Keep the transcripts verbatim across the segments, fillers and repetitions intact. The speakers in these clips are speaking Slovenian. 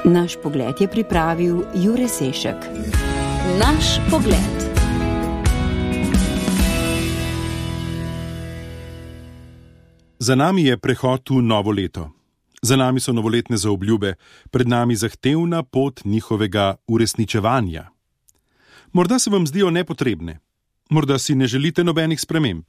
Naš pogled je pripravil Jure Sešek. Naš pogled. Za nami je prehod v novo leto. Za nami so novoletne zaobljube, pred nami zahtevna pot njihovega uresničevanja. Morda se vam zdijo nepotrebne, morda si ne želite nobenih sprememb.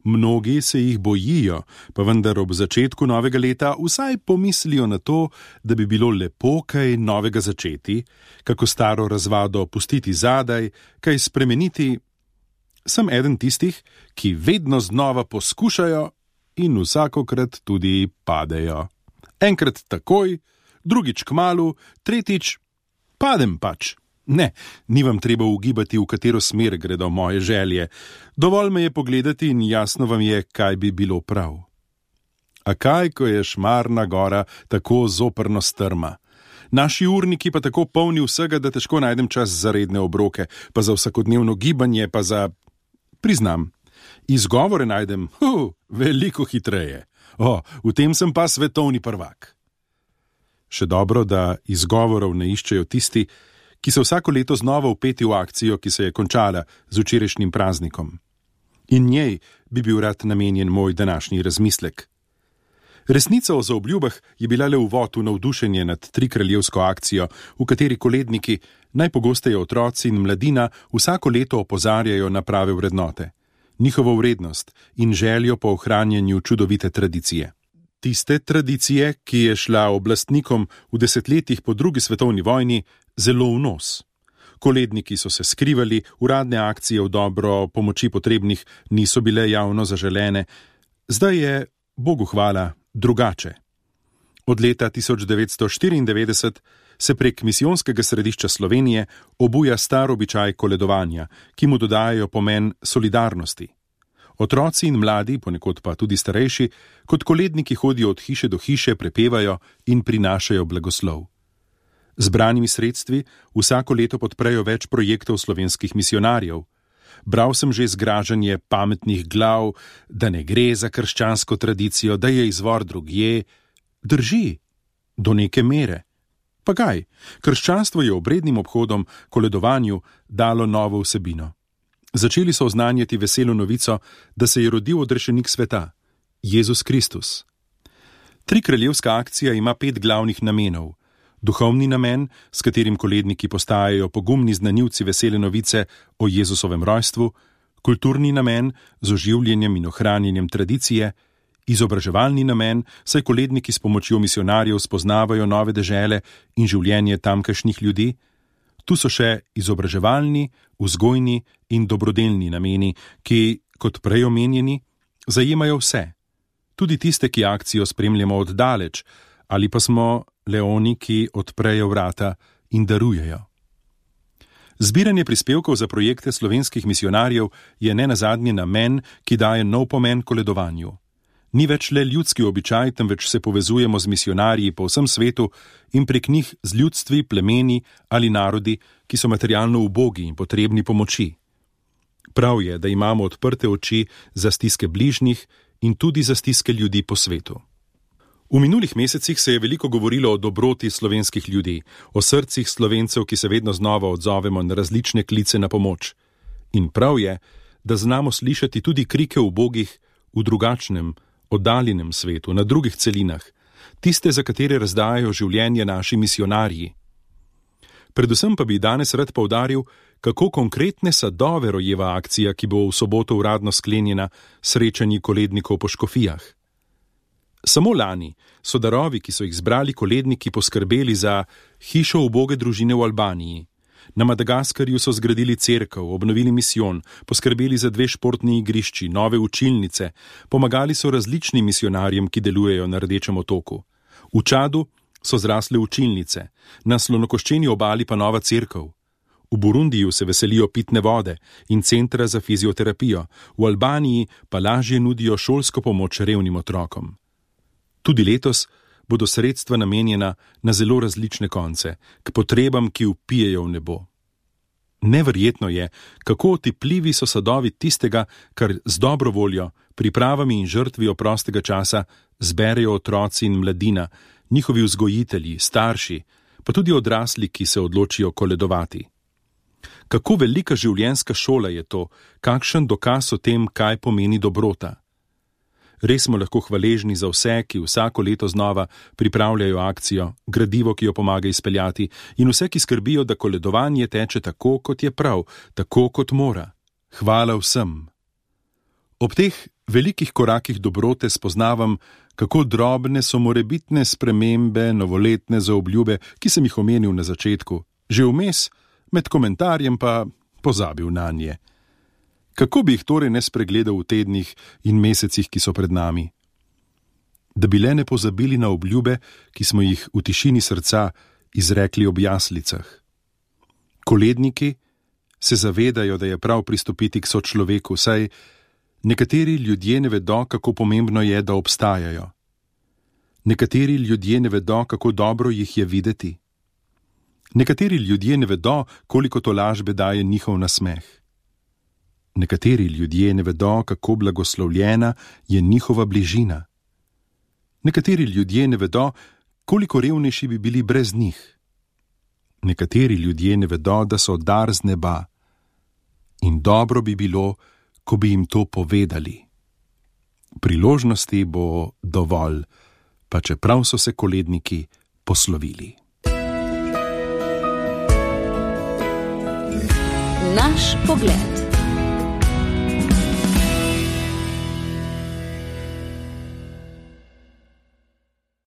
Mnogi se jih bojijo, pa vendar ob začetku novega leta vsaj pomislijo na to, da bi bilo lepo kaj novega začeti, kako staro razvado pustiti zadaj, kaj spremeniti. Sem eden tistih, ki vedno znova poskušajo in vsakokrat tudi padejo. Enkrat takoj, drugič kmalu, tretjič padem pač. Ne, ni vam treba ugibati, v katero smer gredo moje želje. Dovolj me je pogledati in jasno vam je, kaj bi bilo prav. A kaj, ko je Šmarna gora tako zoprno strma? Naši urniki pa tako polni vsega, da težko najdem čas za redne obroke, pa za vsakodnevno gibanje, pa za... Priznam, izgovore najdem, hu, veliko hitreje. O, v tem sem pa svetovni prvak. Še dobro, da izgovorov ne iščejo tisti, ki so vsako leto znova vpeti v akcijo, ki se je končala z včerajšnjim praznikom. In njej bi bil rad namenjen moj današnji razmislek. Resnica o zaobljubah je bila le uvod v navdušenje nad trikraljevsko akcijo, v kateri koledniki, najpogosteje otroci in mladina, vsako leto opozarjajo na prave vrednote, njihovo vrednost in željo po ohranjanju čudovite tradicije. Tiste tradicije, ki je šla oblastnikom v desetletjih po drugi svetovni vojni zelo v nos. Koledniki so se skrivali, uradne akcije v dobro pomoči potrebnih niso bile javno zaželene. Zdaj je, Bogu hvala, drugače. Od leta tisoč devetsto štiriindevetdeset se prek misijonskega središča Slovenije obuja star običaj koledovanja, ki mu dodajajo pomen solidarnosti. Otroci in mladi, ponekod pa tudi starejši, kot koledniki hodijo od hiše do hiše, prepevajo in prinašajo blagoslov. Zbranimi sredstvi vsako leto podprejo več projektov slovenskih misionarjev. Bral sem že zgražanje pametnih glav, da ne gre za krščansko tradicijo, da je izvor drugje. Drži, do neke mere. Pa kaj, krščanstvo je obrednim obhodom, koledovanju, dalo novo vsebino. Začeli so oznanjati veselo novico, da se je rodil odrešenik sveta, Jezus Kristus. Trikraljevska akcija ima pet glavnih namenov. Duhovni namen, s katerim koledniki postajajo pogumni znanilci vesele novice o Jezusovem rojstvu, kulturni namen z oživljenjem in ohranjenjem tradicije, izobraževalni namen, saj koledniki s pomočjo misionarjev spoznavajo nove dežele in življenje tamkajšnjih ljudi. Tu so še izobraževalni, vzgojni in dobrodelni nameni, ki, kot prej omenjeni, zajemajo vse. Tudi tiste, ki akcijo spremljamo od daleč, ali pa smo le oni, ki odprejo vrata in darujejo. Zbiranje prispevkov za projekte slovenskih misionarjev je nenazadnje namen, ki daje nov pomen koledovanju. Ni več le ljudski običaj, temveč se povezujemo z misionarji po vsem svetu in prek njih z ljudstvi, plemeni ali narodi, ki so materialno ubogi in potrebni pomoči. Prav je, da imamo odprte oči za stiske bližnjih in tudi za stiske ljudi po svetu. V minulih mesecih se je veliko govorilo o dobroti slovenskih ljudi, o srcih Slovencev, ki se vedno znova odzovemo na različne klice na pomoč. In prav je, da znamo slišati tudi krike ubogih v drugačnem, oddaljenem svetu, na drugih celinah, tiste, za katere razdajajo življenje naši misionarji. Predvsem pa bi danes rad poudaril, kako konkretne sadove rojeva akcija, ki bo v soboto uradno sklenjena srečanji kolednikov po škofijah. Samo lani so darovi, ki so jih zbrali koledniki, poskrbeli za hišo uboge družine v Albaniji. Na Madagaskarju so zgradili cerkev, obnovili misijon, poskrbeli za dve športni igrišči, nove učilnice, pomagali so različnim misionarjem, ki delujejo na Rdečem otoku. V Čadu so zrasle učilnice, na slonokoščeni obali pa nova cerkev. V Burundiju se veselijo pitne vode in centra za fizioterapijo, v Albaniji pa lažje nudijo šolsko pomoč revnim otrokom. Tudi letos bodo sredstva namenjena na zelo različne konce, k potrebam, ki vpijejo v nebo. Neverjetno je, kako otipljivi so sadovi tistega, kar z dobro voljo, pripravami in žrtvijo prostega časa zberejo otroci in mladina, njihovi vzgojitelji, starši, pa tudi odrasli, ki se odločijo koledovati. Kako velika življenjska šola je to, kakšen dokaz o tem, kaj pomeni dobrota. Res smo lahko hvaležni za vse, ki vsako leto znova pripravljajo akcijo, gradivo, ki jo pomaga izpeljati, in vse, ki skrbijo, da koledovanje teče tako, kot je prav, tako, kot mora. Hvala vsem. Ob teh velikih korakih dobrote spoznavam, kako drobne so morebitne spremembe, novoletne zaobljube, ki sem jih omenil na začetku, že vmes, med komentarjem pa pozabil nanje. Kako bi jih torej ne spregledal v tednih in mesecih, ki so pred nami? Da bi le ne pozabili na obljube, ki smo jih v tišini srca izrekli ob jaslicah. Koledniki se zavedajo, da je prav pristopiti k sočloveku, saj nekateri ljudje ne vedo, kako pomembno je, da obstajajo. Nekateri ljudje ne vedo, kako dobro jih je videti. Nekateri ljudje ne vedo, koliko tolažbe daje njihov nasmeh. Nekateri ljudje ne vedo, kako blagoslovljena je njihova bližina. Nekateri ljudje ne vedo, koliko revnejši bi bili brez njih. Nekateri ljudje ne vedo, da so dar z neba. In dobro bi bilo, ko bi jim to povedali. Priložnosti bo dovolj, pa čeprav so se koledniki poslovili. Naš pogled.